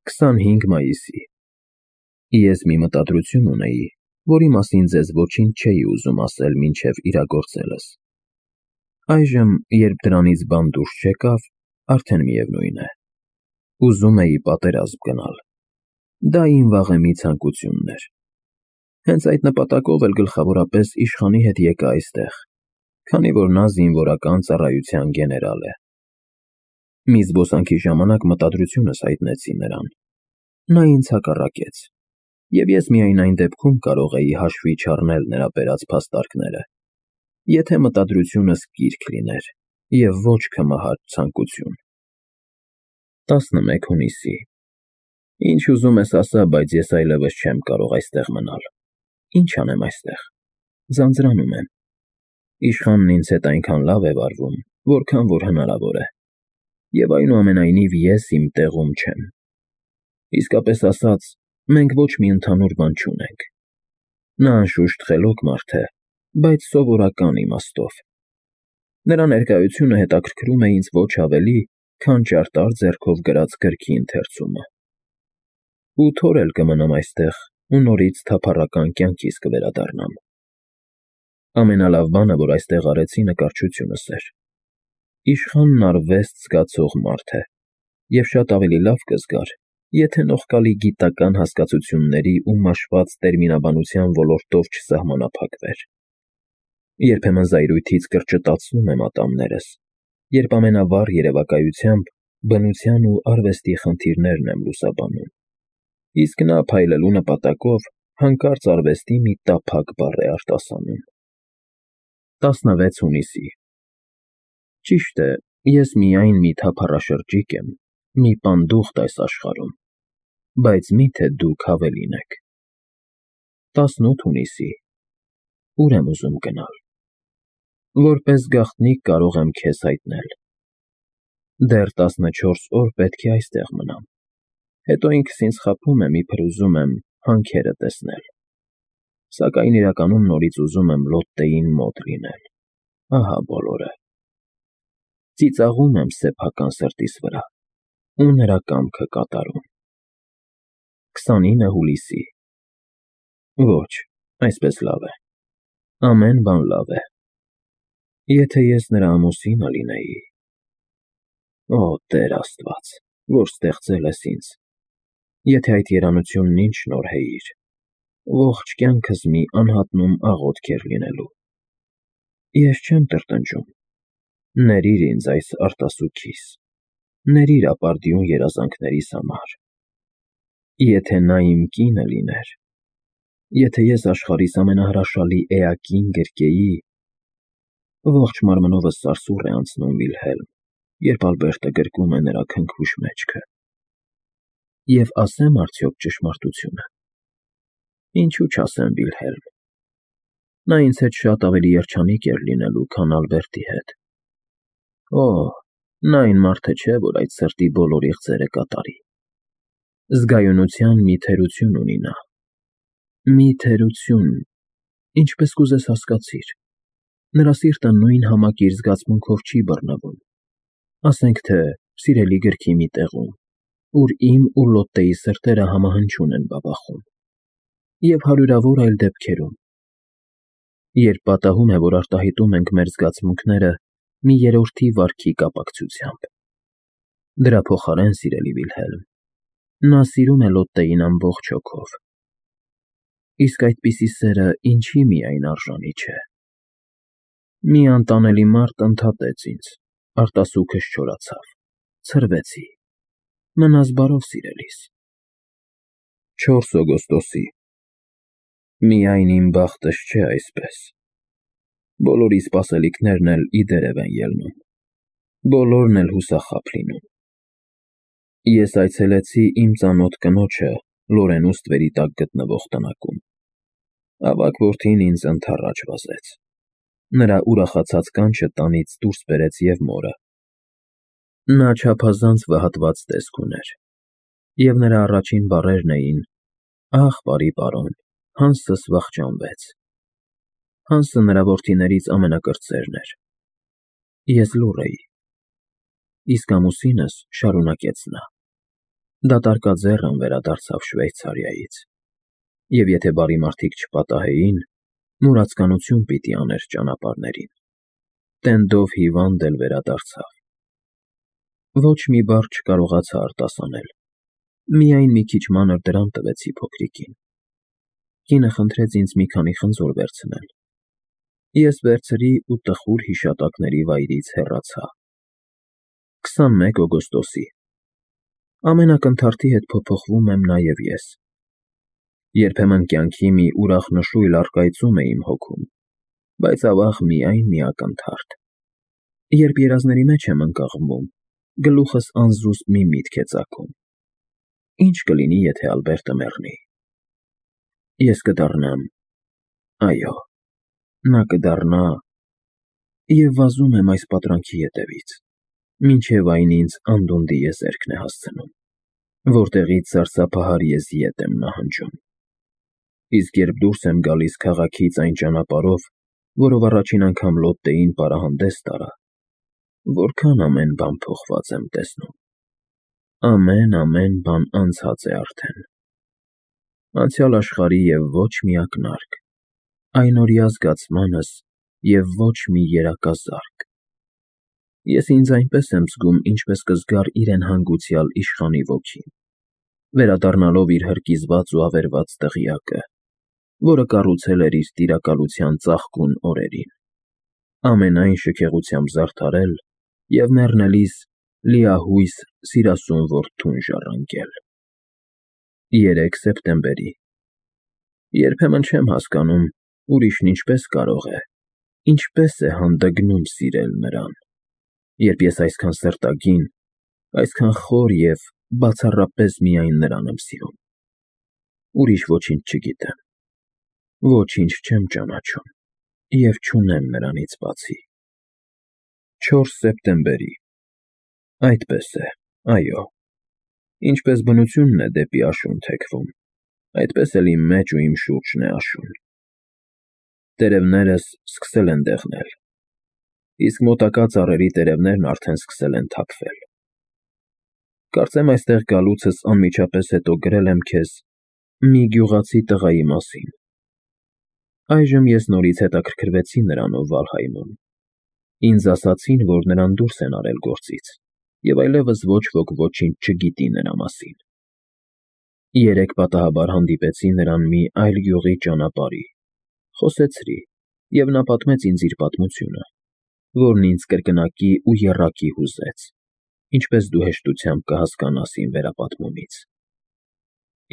25 մայիսի։ Ես մի մտադրություն ունեի, որի մասին ձեզ ոչինչ չէի ուզում ասել մինչև իրագործելս։ Այժմ, երբ դրանից բան դուրս չեկավ, արդեն միևնույն է։ Ուզում էի պատերազմ գնալ։ Դա իմ վաղեմի ցանկությունն էր։ Հենց այդ նպատակով էլ գլխավորապես իշխանի հետ եկա այստեղ, քանի որ նա զինվորական ծառայության գեներալ է։ Մի զբոսանքի ժամանակ մտադրությունս հայտնեցի նրան։ Նա ինձ հակառակեց, և ես միայն այն դեպքում կարող էի հաշվի չառնել նրա բերած փաստարկները, եթե մտադրությունս կիրք լիներ և ոչ քմահաճ ցանկություն։ 11 հունիսի։ Ինչ ուզում ես ասա, բայց ես այլևս չեմ կարող այստեղ մնալ։ Ինչ անեմ այստեղ։ Ձանձրանում եմ։ Իշխանն ինձ հետ այնքան լավ է վարվում, որքան որ հնարավոր է։ Եվ այնուամենայնիվ ես իմ տեղում չեմ։ Իսկապես ասած, մենք ոչ մի ընդհանուր բան չունենք։ Նա անշուշտ խելոք մարդ է, բայց սովորական իմաստով։ Նրա ներկայությունը հետաքրքրում է ինձ ոչ ավելի, քան ճարտար ձեռքով գրած գրքի ընթերցումը։ 8 օր էլ կմնամ այստեղ ու նորից թափառական կյանքիս կվերադառնամ։ Ամենալավ բանը, որ այստեղ արեցի, նկարչությունս էր։ Իշխանն արվեստ զգացող մարդ է, և շատ ավելի լավ կզգար, եթե նողկալի գիտական հասկացությունների ու մաշված տերմինաբանության ոլորտով չսահմանափակվեր։ Երբեմն զայրույթից կրճտացնում եմ ատամներս, երբ ամենավառ երևակայությամբ բնության ու արվեստի խնդիրներն եմ լուսաբանում, իսկ նա փայլելու նպատակով հանկարծ արվեստի մի տափակ բառ է արտասանում։ 16 հունիսի։ Ճիշտ է, ես միայն մի թափառաշրջիկ եմ, մի պանդուխտ այս աշխարհում, բայց մի՞թե դուք ավելին եք։ 18 հունիսի։ Ուր եմ ուզում գնալ։ Որպես գաղտնիք կարող եմ քեզ հայտնել։ Դեռ 14 օր պետք է այստեղ մնամ, հետո ինքս ինձ խաբում եմ, իբր ուզում եմ հանքերը տեսնել, սակայն իրականում նորից ուզում եմ Լոտտեին մոտ լինել, ահա բոլորը։ Ծիծաղում եմ սեփական սրտիս վրա ու նրա կամքը կատարում։ 29 հուլիսի։ Ոչ, այսպես լավ է։ Ամեն բան լավ է։ Եթե ես նրա ամուսինը լինեի… Օ, Տեր Աստված, որ ստեղծել ես ինձ, եթե այդ երանությունն ինձ շնորհեիր, ողջ կյանքս մի անհատնում աղոթք էր լինելու։ Ես չեմ տրտնջում։ Ներիր ինձ այս արտասուքիս, ներիր ապարդյուն երազանքներիս համար։ Եթե նա իմ կինը լիներ, եթե ես աշխարհիս ամենահրաշալի էակին գրկեի… Ողջ մարմնովս սարսուռ է անցնում, Վիլհելմ, երբ Ալբերտը գրկում է նրա քնքուշ մեջքը։ Եվ ասե՞մ արդյոք ճշմարտությունը։ Ինչու չասեմ, Վիլհելմ։ Նա ինձ հետ շատ ավելի երջանիկ էր լինելու, քան Ալբերտի հետ։ Օ, նա այն մարդը չէ, որ այդ սրտի բոլոր իղձերը կատարի։ Զգայունության մի թերություն ունի նա։ Մի թերություն, ինչպես կուզես հասկացիր։ Նրա սիրտը նույն համակիր զգացմունքով չի բռնվում, ասենք թե սիրելի գրքի մի տեղում, ուր իմ ու Լոտտեի սրտերը համահնչյուն են բաբախում, և հարյուրավոր այլ դեպքերում, երբ պատահում է, որ արտահայտում ենք մեր զգացմունքները մի երրորդի վարքի կապակցությամբ։ Դրա փոխարեն, սիրելի Վիլհելմ, նա սիրում է Լոտտեին ամբողջ հոգով։ Իսկ այդպիսի սերը ինչի միայն արժանի չէ։ Մի անտանելի մարդ ընդհատեց ինձ, արտասուքս չորացավ, ցրվեցի։ Մնաս բարով, սիրելիս։ 4 օգոստոսի։ Միայն իմ բախտս չէ այսպես։ Բոլորի սպասելիքներն էլ ի դերև են ելնում, բոլորն էլ հուսախաբ լինում։ Ես այցելեցի իմ ծանոթ կնոջը Լորենու ստվերի տակ գտնվող տնակում։ Ավագ որդին ինձ ընդառաջ վազեց։ Նրա ուրախացած կանչը տանից դուրս բերեց և մորը։ Նա չափազանց վհատված տեսք ուներ, և նրա առաջին բառերն էին. «Ախ, բարի պարոն, Հանսս վախճանվեց»։ Հանսը նրա որդիներից ամենակրտսերն էր։ Ես լուռ էի։ Իսկ ամուսինս, շարունակեց նա, Դատարկաձեռն վերադարձավ Շվեյցարիայից, և եթե բարի մարդիկ չպատահեին, մուրացկանություն պիտի աներ ճանապարհներին։ Տենդով հիվանդ էլ վերադարձավ։ Ոչ մի բառ չկարողացա արտասանել, միայն մի քիչ մանր դրամ տվեցի փոքրիկին։ Կինը խնդրեց ինձ մի քանի խնձոր վերցնել։ Ես վերցրի ու տխուր հիշատակների վայրից հեռացա։ 21 օգոստոսի։ Ամենակնթարթի հետ փոփոխվում եմ նաև ես։ Երբեմն կյանքի մի ուրախ նշույլ առկայծում է իմ հոգում, բայց ավաղ միայն մի ակնթարթ։ Երբ երազների մեջ եմ ընկղմում, գլուխս անզուսպ մի միտք է ծագում. ինչ կլինի, եթե Ալբերտը մեռնի։ Ես կդառնամ, այո, նա կդառնա, և վազում եմ այս պատրանքի ետևից, մինչև այն ինձ անդունդի եզերքն է հասցնում, որտեղից սարսափահար եզի ետ եմ նահանջում։ Իսկ երբ դուրս եմ գալիս քաղաքից այն ճանապարհով, որով առաջին անգամ Լոտտեին պարահանդես տարա, որքան ամեն բան փոխված եմ տեսնում։ Ամեն բան անցած է արդեն։ Անցյալ աշխարհի և ոչ մի ակնարկ, այնօրյա զգացմանս և ոչ մի երակազարկ։ Ես ինձ այնպես եմ զգում, ինչպես կզգար իրեն հանգուցյալ իշխանի ոգին, վերադառնալով իր հրկիզված ու ավերված դղյակը, որը կառուցել էր իր տիրակալության ծաղկուն օրերին, ամենայն շքեղությամբ զարդարել և մեռնելիս լիահույս սիրասուն որդուն ժառանգել։ 3 սեպտեմբերի։ Երբեմն չեմ հասկանում, ուրիշն ինչպես կարող է, ինչպես է հանդգնում սիրել նրան, երբ ես այսքան սրտագին, այսքան խոր և բացառապես միայն նրան եմ սիրում։ Ուրիշ ոչինչ չգիտեմ, ոչինչ չեմ ճանաչում և չունեմ նրանից բացի։ 4 սեպտեմբերի։ Այդպես է, այո, ինչպես բնությունն է դեպի աշուն թեքվում, այդպես էլ իմ մեջ ու իմ շուրջն է աշուն։ Տերևներս սկսել են դեղնել, իսկ մոտակա ծառերի տերևներն արդեն սկսել են թափվել։ Կարծեմ այստեղ գալուցս անմիջապես հետո գրել եմ քեզ մի գյուղացի տղայի մասին։ Այժմ ես նորից հետաքրքրվեցի նրանով Վալհայմում։ Ինձ ասացին, որ նրան դուրս են արել գործից, և այլևս ոչ ոք ոչինչ չգիտի նրա մասին։ Երեկ պատահաբար հանդիպեցի նրան մի այլ գյուղի ճանապարհի, խոսեցրի, և նա պատմեց ինձ իր պատմությունը, որն ինձ կրկնակի ու եռակի հուզեց, ինչպես դու հեշտությամբ կհասկանաս իմ վերապատմումից։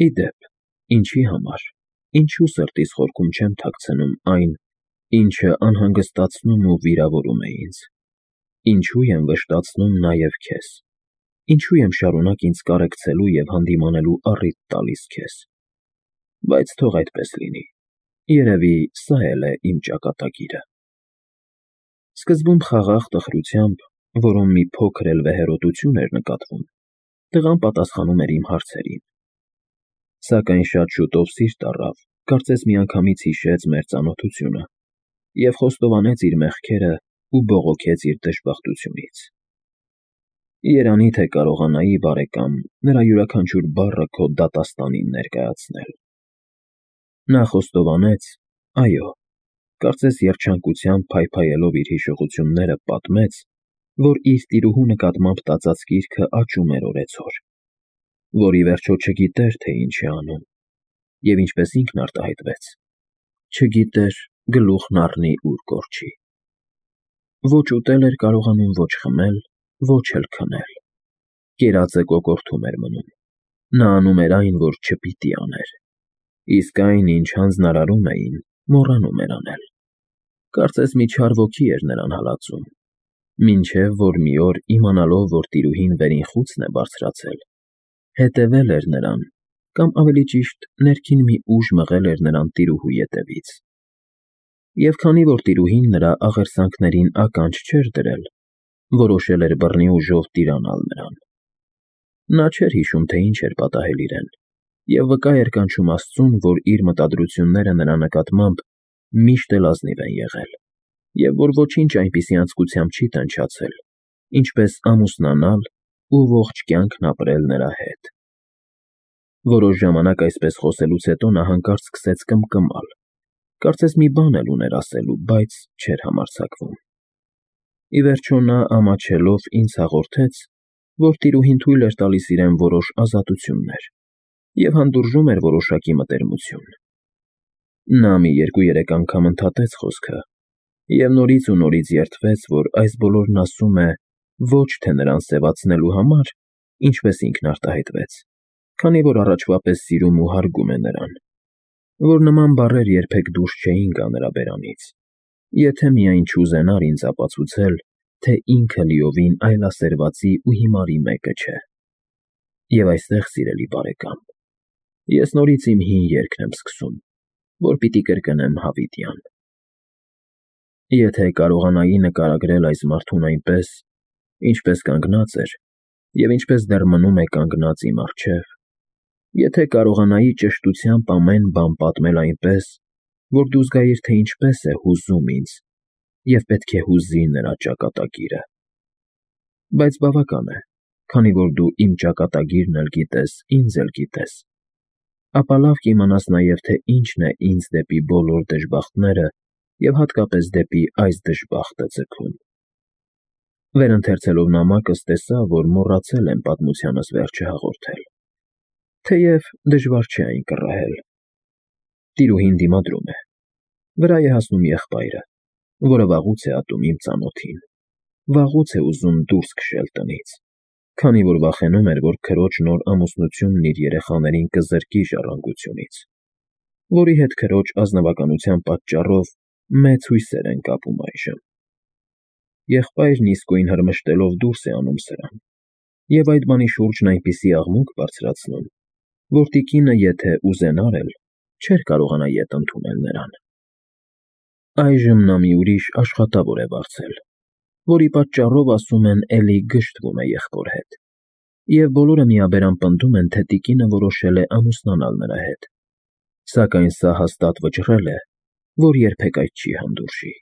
Ի դեպ, ինչի համար, ինչու սրտիս խորքում չեմ թաքցնում այն, ինչը անհանգստացնում ու վիրավորում է ինձ, ինչու եմ վշտացնում նաև քեզ, ինչու եմ շարունակ ինձ կարեկցելու և հանդիմանելու առիթ տալիս քեզ։ Բայց թող այդպես լինի, երևի սա էլ է իմ ճակատագիրը։ Սկզբում խաղաղ տխրությամբ, որում մի փոքր էլ վեհերոտություն էր նկատվում, տղան պատասխանում էր իմ հարցերին։ Սակայն շատ շուտով սիրտ առավ, կարծես միանգամից հիշեց մեր ծանոթությունը և խոստովանեց իր մեղքերը ու բողոքեց իր դժբախտությունից։ Երանի թե կարողանայի, բարեկամ, նրա յուրաքանչյուր բառը քո դատաստանին ներկայացնել։ Նա խոստովանեց, այո, կարծես երջանկությամբ փայփայելով իր հիշողությունները պատմեց, որ իր տիրուհու նկատմամբ տածած կիրքը աճում էր օրեցօր, որ ի վերջո չգիտեր, թե ինչ է անում, և ինչպես ինքն արտահայտվեց, չգիտեր գլուխն առնի ուր կորչի։ Ոչ ուտել էր կարողանում, ոչ խմել, ոչ էլ քնել։ Կերածը կոկորդում էր մնում։ Նա անում էր այն, որ չպիտի աներ, իսկ այն, ինչ հանձնարարում էին, մոռանում էր անել։ Կարծես մի չար ոգի էր նրան հալածում, մինչև որ մի օր, իմանալով, որ տիրուհին վերին խուցն է բարձրացել, հետևել էր նրան, կամ ավելի ճիշտ, ներքին մի ուժ մղել էր նրան տիրուհու ետևից։ Եվ քանի որ տիրուհին նրա աղերսանքներին ականջ չէր դրել, որոշել էր բռնի ուժով տիրանալ նրան։ Նա չէր հիշում, թե ինչ էր պատահել իրեն, և վկա էր կանչում Աստծուն, որ իր մտադրությունները նրա նկատմամբ միշտ էլ ազնիվ են եղել, և որ ոչինչ այնպիսի անձկությամբ չի տանջացել, ինչպես ամուսնանալ ու ողջ կյանքն ապրել նրա հետ։ Որոշ ժամանակ այսպես խոսելուց հետո նա հանկարծ սկսեց կմկմալ, կարծես մի բան էլ ուներ ասելու, բայց չէր համարձակվում։ Ի վերջո նա ամաչելով ինձ հաղորդեց, որ տիրուհին թույլ էր տալիս իրեն որոշ ազատություններ և հանդուրժում էր որոշակի մտերմություն։ Նա մի 2-3 անգամ ընդհատեց խոսքը և նորից ու նորից երդվեց, որ այս բոլորն ասում է ոչ թե նրան սևացնելու համար, ինչպես ինքն արտահայտվեց, քանի որ առաջվա պես սիրում ու հարգում է նրան, որ նման բառեր երբեք դուրս չէին գա նրա բերանից, եթե միայն չուզենար ինձ ապացուցել, թե ինքը լիովին այլասերվածի ու հիմարի մեկը չէ։ Եվ այստեղ, սիրելի բարեկամ, ես նորից իմ հին երգն եմ սկսում, որ պիտի կրկնեմ հավիտյան։ Եթե կարողանայի նկարագրել այս մարդուն այնպես, ինչպես կանգնած էր և ինչպես դեռ մնում է կանգնած իմ առջև, եթե կարողանայի ճշտությամբ ամեն բան պատմել այնպես, որ դու զգայիր, թե ինչպես է հուզում ինձ և պետք է հուզի նրա ճակատագիրը, բայց բավական է, քանի որ դու իմ ճակատագիրն էլ գիտես, ինձ էլ գիտես, ապա լավ կիմանաս նաև, թե ինչն է ինձ դեպի բոլոր դժբախտները և հատկապես դեպի այս դժբախտը ձգում։ Վերընթերցելով նամակս տեսա, որ մոռացել եմ պատմությանս վերջը հաղորդել, թեև դժվար չէ այն կռահել։ Տիրուհին դիմադրում է, վրա է հասնում եղբայրը, որը վաղուց է ատում իմ ծանոթին, վաղուց է ուզում դուրս քշել տնից, քանի որ վախենում էր, որ քրոջ նոր ամուսնությունն իր երեխաներին կզրկի ժառանգությունից, որի հետ քրոջ ազնվականության պատճառով մեծ հույսեր են կապում այժմ։ Եղբայրն իսկույն հրմշտելով դուրս է անում սրան, և այդ բանի շուրջն այնպիսի աղմուկ բարձրացնում, որ տիկինը, եթե ուզենար էլ, չէր կարողանա ետ ընդունել նրան։ Այժմ նա մի ուրիշ աշխատավոր է վարձել, որի պատճառով, ասում են, էլի գժտվում է եղբոր հետ, և բոլորը միաբերան պնդում են, թե տիկինը որոշել է ամուսնանալ նրա հետ, սակայն սա հաստատ վճռել է, որ երբեք այդ չի հանդուրժի։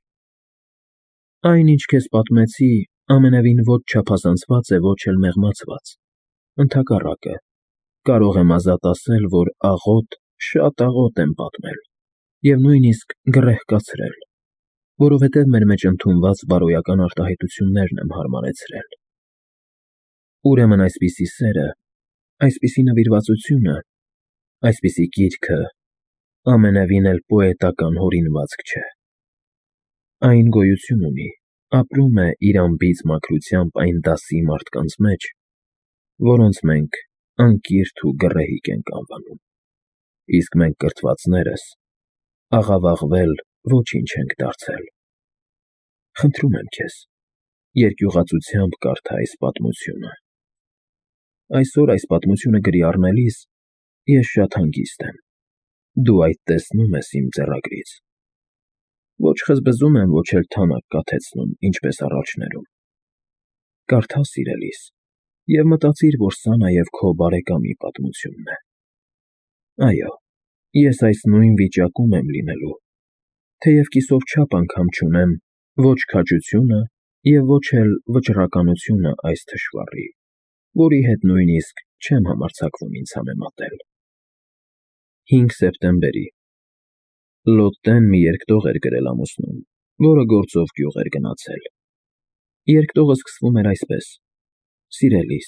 Այն, ինչ քեզ պատմեցի, ամենևին ոչ չափազանցված է, ոչ էլ մեղմացված, ընդհակառակը, կարող եմ ազատ ասել, որ աղոտ, շատ աղոտ եմ պատմել և նույնիսկ գռեհկացրել, որովհետև մեր մեջ ընդունված բարոյական արտահայտություններն եմ հարմարեցրել։ Ուրեմն այսպիսի սերը, այսպիսի նվիրվածությունը, այսպիսի կիրքը ամենևին էլ պոետական հորինվածք չէ։ Այն գոյություն ունի, ապրում է իր անբիծ մաքրությամբ այն դասի մարդկանց մեջ, որոնց մենք անկիրթ ու գռեհիկ ենք անվանում, իսկ մենք կրթվածներս աղավաղվել ոչինչ ենք դարձել։ Խնդրում եմ քեզ, երկյուղացությամբ կարդա այս պատմությունը։ Այսօր այս պատմությունը գրի առնելիս ես շատ հանգիստ եմ, դու այդ տեսնում ես իմ ձեռագրից։ Ոչ խզբզում եմ, ոչ էլ թանաք կաթեցնում, ինչպես առաջներում։ Կարդա սիրելիս և մտածիր, որ սա նաև քո բարեկամի պատմությունն է։ Այո, ես այս նույն վիճակում եմ լինելու, թեև կիսով չափ անգամ չունեմ ոչ քաջությունը և ոչ էլ վճռականությունը այս թշվառի, որի հետ նույնիսկ չեմ համարձակվում ինձ համեմատել։ 5 սեպտեմբերի Լոտտեն մի երկտող էր գրել ամուսնուն, որը գործով գյուղ էր գնացել։ Երկտողը սկսվում էր այսպես. «Սիրելիս,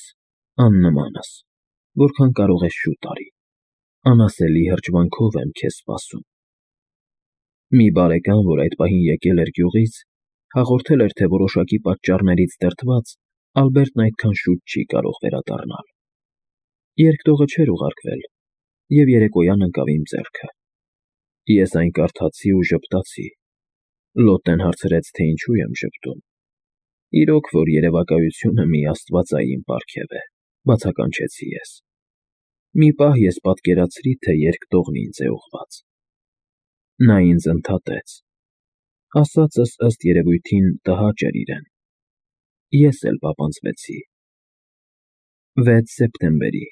աննմանս, որքան կարող ես շուտ արի, անասելի հրճվանքով եմ քեզ սպասում»։ Մի բարեկամ, որ այդ պահին եկել էր գյուղից, հաղորդել էր, թե որոշակի պատճառներից դրդված Ալբերտն այդքան շուտ չի կարող վերադառնալ։ Երկտողը չէր ուղարկվել, և երեկոյան ընկավ իմ ձեռքը։ Ես այն կարդացի ու ժպտացի։ Լոտտեն հարցրեց, թե ինչու եմ ժպտում։ Իրոք, որ երևակայությունը մի աստվածային պարգև է, բացականչեցի ես։ Մի պահ ես պատկերացրի, թե երկտողն ինձ է ուղղված։ Նա ինձ ընդհատեց. ասածս ըստ երևույթին տհաճ էր իրեն։ Ես էլ պապանձվեցի։ 6 սեպտեմբերի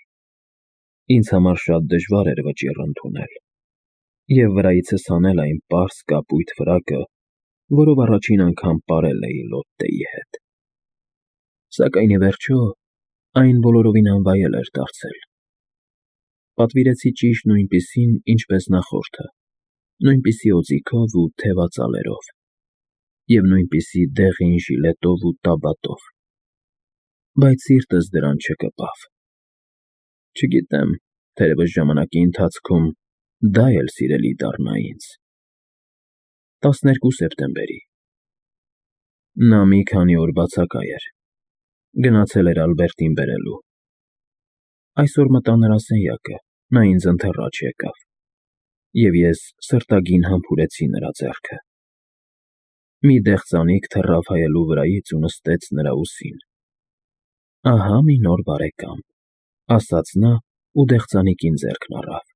Ինձ համար շատ դժվար էր վճիռ ընդունել և վրայիցս հանել այն պարզ կապույտ ֆրակը, որով առաջին անգամ պարել էի Լոտտեի հետ։ Սակայն ի վերջո այն բոլորովին անվայել էր դարձել։ Պատվիրեցի ճիշտ նույնպիսին, ինչպես նախորդը, նույնպիսի օձիքով ու թևածալերով, և նույնպիսի դեղին ժիլետով ու տաբատով, բայց սիրտս դրան չկպավ։ Չգիտեմ, թերևս ժամանակի ընթացքում դա էլ սիրելի դառնա ինձ։ 12 սեպտեմբերի Նա մի քանի օր բացակայ էր։ Գնացել էր Ալբերտին բերելու։ Այսօր մտա նրա սենյակը, նա ինձ ընթեռաջ եկավ, և ես սրտագին համբուրեցի նրա ձեռքը։ Մի դեղձանիկ թռավ հայելու վրայից ու նստեց նրա ուսին։ «Ահա մի նոր բարեկամ», ասաց նա ու դեղձանիկին ձեռքն առավ։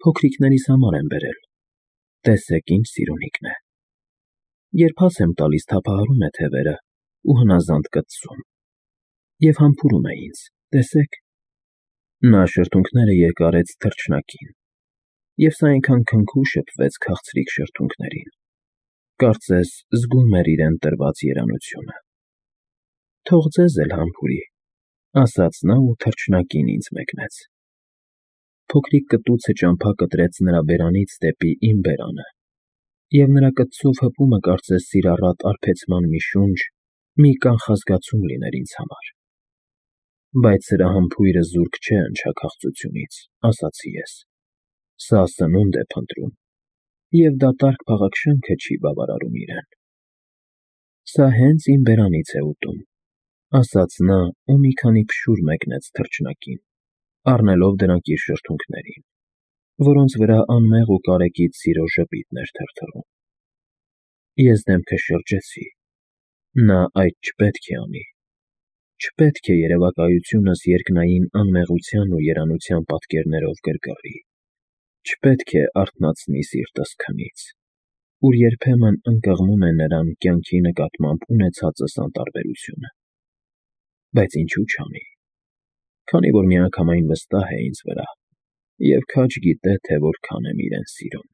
«Փոքրիկներիս համար եմ բերել, տեսեք ինչ սիրունիկն է։ Երբ հաց եմ տալիս, թափահարում է թևերը ու հնազանդ կծում, և համբուրում է ինձ, տեսեք»։ Նա շրթունքները երկարեց թռչնակին, և սա այնքան քնքուշ շփվեց քաղցրիկ շրթունքներին, կարծես զգում էր իրեն տրված երանությունը։ «Թող ձեզ էլ համբուրի», ասաց նա ու թռչնակին ինձ մեկնեց։ Փոքրիկ կտուցը ճամփա կտրեց նրա բերանից դեպի իմ բերանը, և նրա կծով հպումը կարծես սիրառատ արբեցման մի շունչ, մի կանխազգացում լիներ ինձ համար։ Բայց սրա համբույրը զուրկ չէ ընչաքաղցությունից, ասացի ես։ Սա սնունդ է փնտրում, և դատարկ փաղաքշանքը չի բավարարում իրեն։ «Սա հենց իմ բերանից է ուտում», ասաց նա ու մի քանի փշուր մեկնեց թռչնակին, առնելով դրանք իր շրթունքներին, որոնց վրա անմեղ ու կարեկից սիրո ժպիտն էր թրթռում։ Ես դեմքս շրջեցի։ Նա այդ չպետք է անի։ Չպետք է երևակայությունս երկնային անմեղության ու երանության պատկերներով գրգռի։ Չպետք է արթնացնի սիրտս քնից, ուր երբեմն ընկղմում է նրան կյանքի նկատմամբ ունեցածս անտարբերությունը։ Բայց ինչու չանի, քանի որ միանգամայն վստահ է ինձ վրա և քաջ գիտե, թե որքան եմ իրեն սիրում։